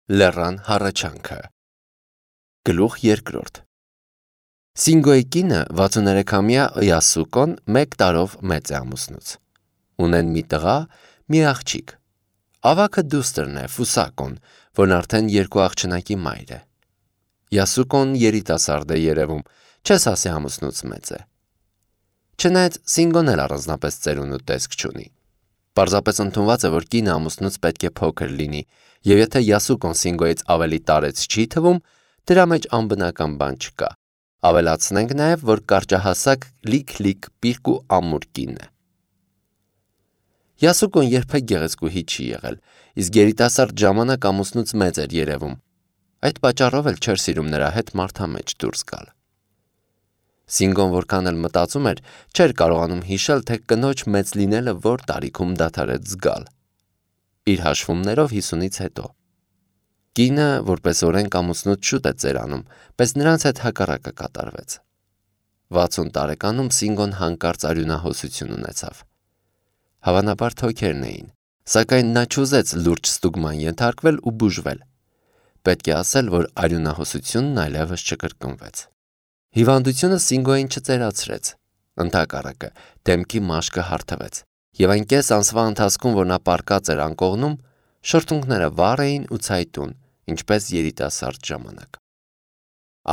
Լեռան հառաչանքը։ Գլուխ 2 Սինգոյի կինը 63-ամյա Յասուկոն 1 տարով մեծ է ամուսնուց։ Ունեն մի տղա, մի աղջիկ։ Ավագը դուստրն է Ֆուսակոն, որն արդեն 2 աղջնակի մայր է։ Յասուկոն երիտասարդ է երևում, չես ասի ամուսնուց մեծ է։ Չնայած Սինգոն էլ առանձնապես ծերունու տեսք չունի։ Պարզապես ընդունված է, որ կինը ամուսնուց պետք է փոքր լինի, եւ եթե Յասուկոն Սինգոյից ավելի տարեց չի թվում, դրա մեջ անբնական բան չկա։ Ավելացնենք նաեւ, որ կարճահասակ լիք պիրկ ու ամուր կին է։ Յասուկոն երբեք գեղեցկուհի չի եղել, իսկ երիտասարդ ժամանակ ամուսնուց մեծ էր երևում։ Այդ պատճառով էլ չէր սիրում նրա հետ մարդամեջ դուրս գալ։ Սինգոն որքան էլ մտածում էր, չէր կարողանում հիշել, թե կնոջ մեծ լինելը որ տարիքում դադարեց զգալ։ Իր հաշվումներով 50-ից հետո։ Կինը, որպես օրենք ամուսնուց շուտ է ծերանում, բայց նրանց հետ հակառակը կատարվեց։ 60 տարեկանում Սինգոն հանկարծ արյունահոսություն ունեցավ։ Հավանաբար թոքերն էին, սակայն նա չուզեց լուրջ ստուգման ենթարկվել ու բուժվել։ Պետք է ասել, որ արյունահոսությունն այլևս չկրկնվեց։ Հիվանդությունը Սինգոյին չծերացրեց, ընդհակառակը դեմքի մաշկը հարթվեց, եւ այն կես ամսվա ընթացքում, որ նա պառկած էր անկողնում, շրթունքները վառ էին ու ցայտուն, ինչպես երիտասարդ ժամանակ։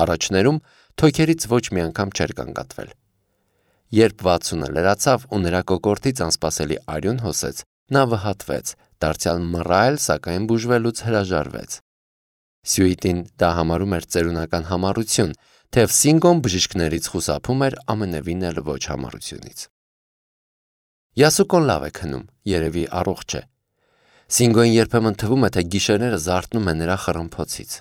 Առաջներում թոքերից ոչ մի անգամ չէր կանգատվել։ Երբ 60-ը լրացավ ու նրա կոկորդից անսպասելի արյուն հոսեց, նա վհատվեց, դարձյալ մռայլ, սակայն բուժվելուց հրաժարվեց։ Սյուիտին դա համարում էր ծերունական համառություն, թեև Սինգոն բժիշկներից խուսափում էր ամենևին էլ ոչ համառությունից։ Յասուկոն լավ է քնում, երևի առողջ է։ Սինգոյին երբեմն թվում է, թե գիշերները զարթնում է նրա խռմփոցից։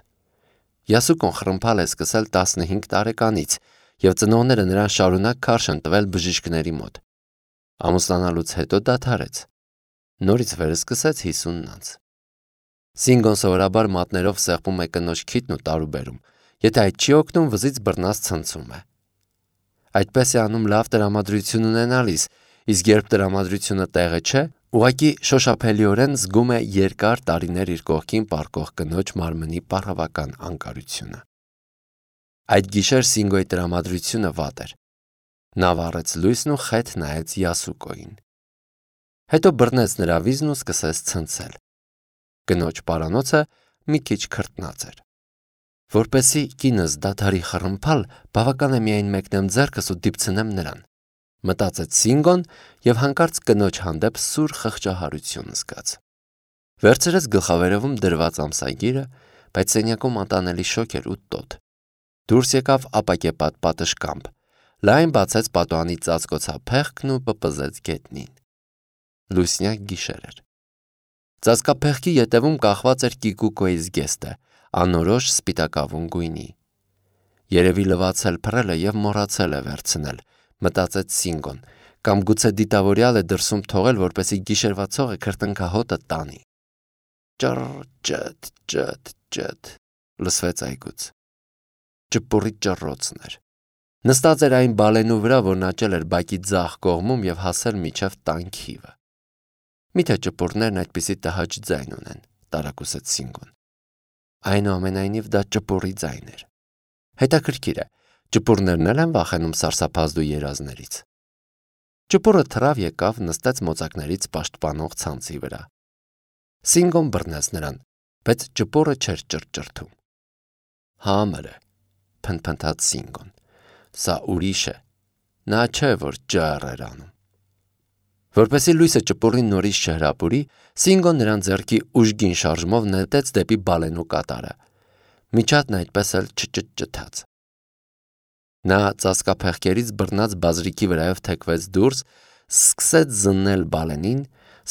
Յասուկոն խռմփալ է սկսել 15 տարեկանից, եւ ծնողները նրան շարունակ քարշ են տվել բժիշկների մոտ։ Ամուսնանալուց հետո դադարեց։ Նորից վերսկսեց 50-ն անց։ Սինգոն սովորաբար մատներով սեղմում է կնոջ քիթն ու տարուբերում։ Եթե այդ չի օգնում, վզից բռնած ցնցում է։ Այդպես է անում լավ տրամադրություն ունենալիս, իսկ երբ տրամադրությունը տեղը չէ, ուղղակի շոշափելիորեն զգում է երկար տարիներ իր կողքին պառկող կնոջ մարմնի պառավական անկարությունը։ Այդ գիշեր Սինգոյի տրամադրությունը վատ էր։ Նա վառեց լույսն ու խեթ նայեց Յասուկոյին։ Հետո բռնեց նրա վիզն ու սկսեց ցնցել։ Կնոջ պարանոցը մի քիչ քրտնած էր։ Որպեսզի կինս դադարի խռմփալ, բավական է միայն մեկնեմ ձեռքս ու դիպցնեմ նրան, մտածեց Սինգոն եւ հանկարծ կնոջ հանդեպ սուր խղճահարություն զգաց։ Վերցրեց գլխավերևում դրված ամսագիրը, բայց սենյակում անտանելի շոգ էր ու տոտ։ Դուրս եկավ ապակեպատ պատշգամբ, լայն բացեց պատուհանի ծածկոցափեղկն ու պպզեց գետնին։ Լուսնյակ գիշեր էր։ Ծածկափեղկի ետևում կախված էր Կիկուկոյի զգեստը, անորոշ սպիտակավուն գույնի։ Երևի լվացել փռել է եւ մոռացել է վերցնել, մտածեց Սինգոն, կամ գուցե դիտավորյալ է դրսում թողել, որպեսի գիշերվա ցողը քրտնքահոտը տանի։ Ճտ լսվեց այգուց։ Ճպուրի ճռոցն էր։ Նստած էր այն բալենու վրա, որն աճել էր բակի ձախ կողմում եւ հասել մինչեւ տան քիվը։ Միթե ճպուրներն այդպիսի տհաճ ձայն ունեն, տարակուսեց Սինգոն։ Այնուամենայնիվ դա ճպուրի ձայն էր։ Հետաքրքիր է, ճպուրներն էլ են վախենում սարսափազդու երազներից։ Ճպուրը թռավ եկավ, նստեց մոծակներից պաշտպանող ցանցի վրա։ Սինգոն բռնեց նրան, բայց ճպուրը չէր ճռճռթում։ Համր է, փնփնթաց Սինգոն։ Սա ուրիշ է։ Նա չէ, որ ջառ էր անում։ Որպեսի լույսը ճպուրին նորից չհրապուրի, Սինգոն նրան ձեռքի ուժգին շարժումով նետեց դեպի բալենու կատարը։ Միջատն այդպես էլ չճթաց։ Նա ծածկափեղկերից բռնած բազրիկի վրայով թեքվեց դուրս, սկսեց զննել բալենին,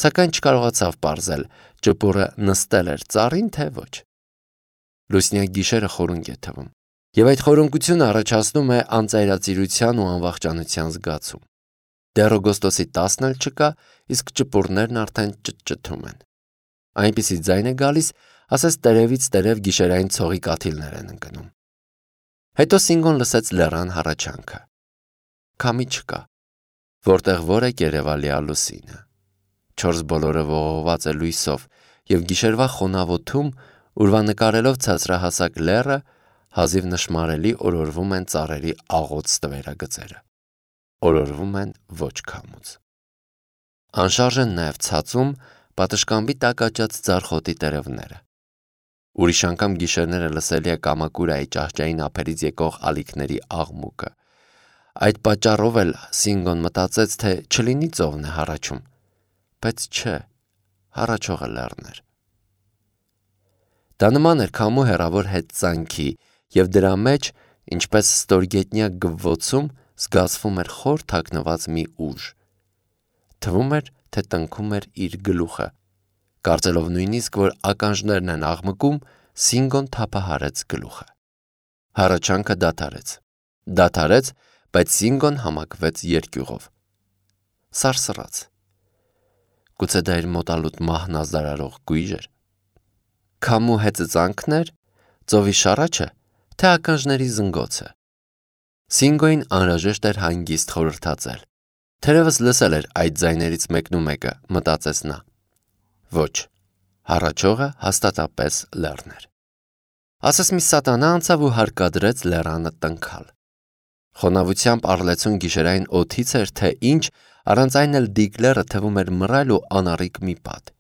սակայն չկարողացավ պարզել, ճպուրը նստել էր ծառին, թե ոչ։ Լուսնյակ գիշերը խորունկ է թվում, եւ այդ խորունկությունը առաջացնում է անծայրածիրության ու անվախճանության զգացում։ Դեռ օգոստոսի 10-ն էլ չկա, իսկ ճպուրներն արդեն ճթում են։ Այնպիսի ձայն է գալիս, ասես տերևից տերև գիշերային ցողի կաթիլներ են ընկնում։ Հետո Սինգոն լսեց լեռան հառաչանքը։ Քամի չկա, որտեղ որ է երևալիա լուսինը։ Չորս բոլորը ողողված է լույսով, եւ գիշերվա խոնավ օդում ուրվանկարելով ցածրահասակ լեռը, հազիվ նշմարելի օրորվում են ծառերի աղոց տվերագծերը, օրորվում են ոչ քամուց։ Անշարժ են նաև ցածում պատշգամբի տակ աճած ձարխոտի տերևները։ Ուրիշ անգամ գիշերները լսելի է կամակուրայի ճահճային ափերից եկող ալիքների աղմուկը։ Այդ պատճառով էլ Սինգոն մտածեց, թե չլինի ծովն է հառաչում, բայց չէ, հառաչողը լեռն էր։ Դա նման էր քամու հեռավոր հետծանքի, և դրա մեջ, ինչպես ստորգետնյա գվվոցում, զգացվում էր խոր թաքնված մի ուժ։ Թվում էր, թե տնքում էր իր գլուխը։ Կարծելով նույնիսկ, որ ականջներն են աղմկում, Սինգոն թափահարեց գլուխը։ Հառաչանքը դադարեց, բայց Սինգոն համակվեց երկյուղով։ Սարսռաց։ Գուցե դա իր մոտալուտ մահն ազդարարող գույժ էր։ Քամու հեծծանքն էր, ծովի շառաչը, թե ականջների զնգոցը։ Սինգոյին անհրաժեշտ էր հանգիստ խորհրդածել։ Թերևս լսել էր այդ ձայներից մեկնումեկը, մտածեց նա։ Ոչ, հառաչողը հաստատապես լեռն էր։ Ասես մի սատանա անցավ ու հարկադրեց լեռանը տնքալ։ Խոնավությամբ առլեցուն գիշերային օդից էր, թե ինչ, առանց այն էլ դիք լեռը թվում էր մռայլ ու անառիկ մի պատ։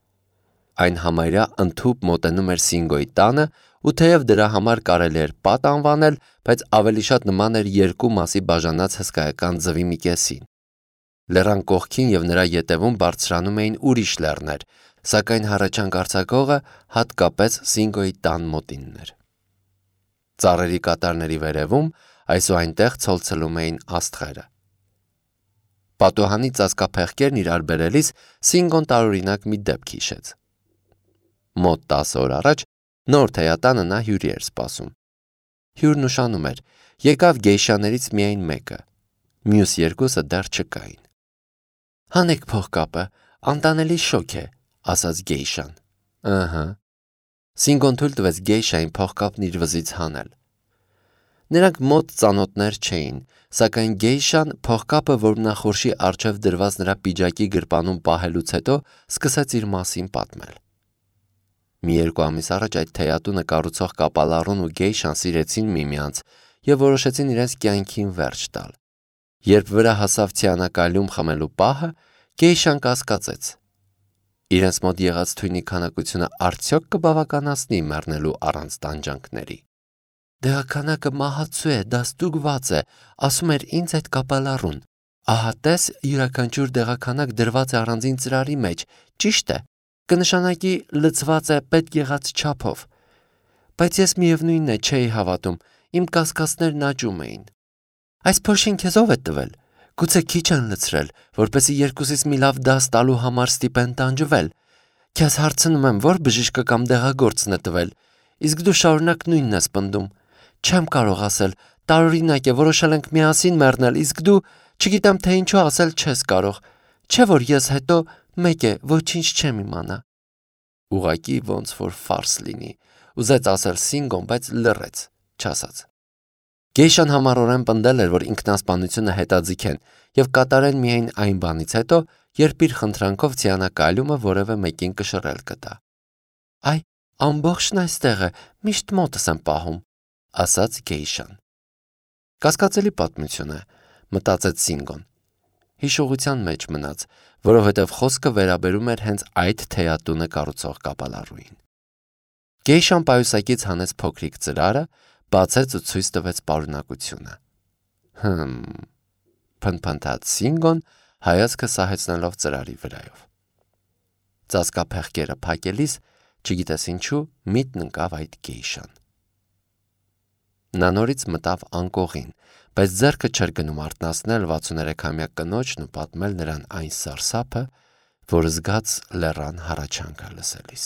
Այն համարյա ընդհուպ մոտենում էր Սինգոյի տանը, ու թեև դրա համար կարելի էր պատ անվանել, բայց ավելի շատ նման էր երկու մասի բաժանած հսկայական ձվի մի կեսին։ Լեռան կողքին և նրա ետևում բարձրանում էին ուրիշ լեռներ, սակայն հառաչանք արձակողը հատկապես Սինգոյի տան մոտինն էր։ Ծառերի կատարների վերևում այս ու այնտեղ ցոլցլում էին աստղերը։ Պատուհանի ծածկափեղկերն իրար բերելիս Սինգոն տարօրինակ մի դեպք հիշեց։ Մոտ 10 օր առաջ նոր թեյատանը նա հյուրի էր սպասում։ Հյուրն ուշանում էր, եկավ գեյշաներից միայն մեկը, մյուս երկուսը դեռ չկային։ Հանեք փողկապը, անտանելի շոգ է, ասաց գեյշան։ Ըհը։ Սինգոն թույլ տվեց գեյշային փողկապն իր վզից հանել։ Նրանք մոտ ծանոթներ չէին, սակայն գեյշան փողկապը որմնախորշի առջև դրված նրա պիջակի գրպանում պահելուց հետո սկսեց իր մասին պատմել։ Մի 2 ամիս առաջ այդ թեյատունը կառուցող կապալառուն ու գեյշան սիրեցին միմյանց և որոշեցին իրենց կյանքին վերջ տալ։ Երբ վրա հասավ ցիանակալյում խմելու պահը, գեյշան կասկածեց. իրենց մոտ եղած թույնի քանակությունը արդյոք կբավականացնի մեռնելու առանց տանջանքների։ Դեղաքանակը մահացու է, դա ստուգված է, ասում էր ինձ այդ կապալառուն։ Ահա տես, յուրաքանչյուր դեղաքանակ դրված է առանձին ծրարի մեջ, ճիշտ է, կնշանակի լցված է պետք եղած չափով։ Բայց ես միևնույնն է չէի հավատում, իմ կասկածներն աճում էին։ Այս փոշին քեզ ով է տվել։ Գուցե քիչ են լցրել, որպեսզի երկուսից մի լավ դաս տալու համար ստիպեն տանջվել։ Քեզ հարցնում եմ, որ բժիշկը կամ դեղագործն է տվել, իսկ դու շարունակ նույնն ես պնդում։ Չեմ կարող ասել, տարօրինակ է, որոշել ենք միասին մեռնել, իսկ դու, չգիտեմ թե ինչու ասել չես կարող։ Չէ՞ որ ես հետո մեկ է, ոչինչ չեմ իմանա։ Ուղղակի ոնց որ ֆարս լինի, ուզեց ասել Սինգոն, բայց լռեց, չասաց։ Գեյշան համառորեն պնդել էր, որ ինքնասպանությունը հետաձիգ են և կատարեն միայն այն բանից հետո, երբ իր խնդրանքով ցիանակալյումը որևէ մեկին կշռել կտա։ Այ, ամբողջն այստեղ է, միշտ մոտս եմ պահում, ասաց գեյշան։ Կասկածելի պատմություն է, մտածեց Սինգոն։ Հիշողության մեջ մնաց, որովհետև խոսքը վերաբերում էր հենց այդ թեյատունը կառուցող կապալառուին։ Գեյշան պայուսակից հանեց փոքրիկ ծրարը, բացեց ու ցույց տվեց պարունակությունը։ Փնփնթաց Սինգոն, հայացքը սահեցնելով ծրարի վրայով։ Ծածկափեղկերը փակելիս, չգիտես ինչու, միտն ընկավ այդ գեյշան։ Նա նորից մտավ անկողին, բայց ձեռքը չէր գնում արթնացնել 63-ամյա կնոջն ու պատմել նրան այն սարսափը, որ զգաց լեռան հառաչանքը լսելիս։